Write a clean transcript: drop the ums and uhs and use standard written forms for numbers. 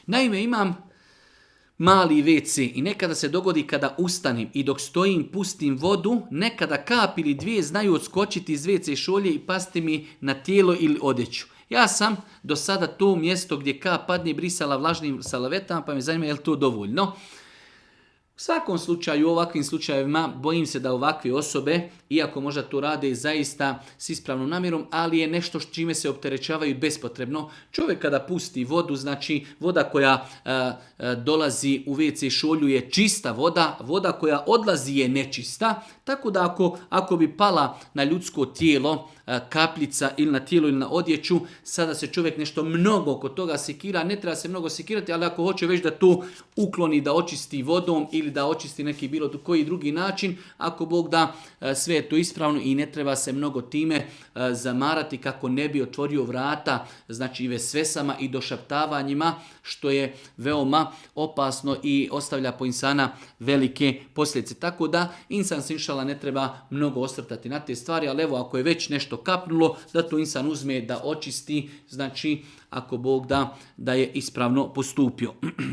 Naime, imam mali WC i nekada se dogodi kada ustanem i dok stojim pustim vodu, nekada kap ili dvije znaju odskočiti iz WC šolje i pasti mi na tijelo ili odjeću. Ja sam do sada to mjesto gdje kap padne brisala vlažnim salavetama, pa me zanima je li to dovoljno. U svakom slučaju, u ovakvim slučajevima, bojim se da ovakve osobe, iako možda to rade zaista s ispravnom namjerom, ali je nešto čime se opterećavaju bespotrebno. Čovjek kada pusti vodu, znači voda koja dolazi u WC šolju je čista voda, voda koja odlazi je nečista, tako da ako bi pala na ljudsko tijelo kapljica ili na tijelo ili na odjeću, sada se čovjek nešto mnogo oko toga sekira, ne treba se mnogo sekirati, ali ako hoće već da to ukloni, da očisti vodom ili da očisti neki bilo koji drugi način, ako Bog da, sve je to ispravno i ne treba se mnogo time zamarati kako ne bi otvorio vrata, znači i vesvesama i došaptavanjima, što je veoma opasno i ostavlja po insana velike posljedice. Tako da insan se inšala ne treba mnogo osvrtati na te stvari, ali evo ako je već nešto kapnulo, da to insan uzme da očisti, znači ako Bog da je ispravno postupio.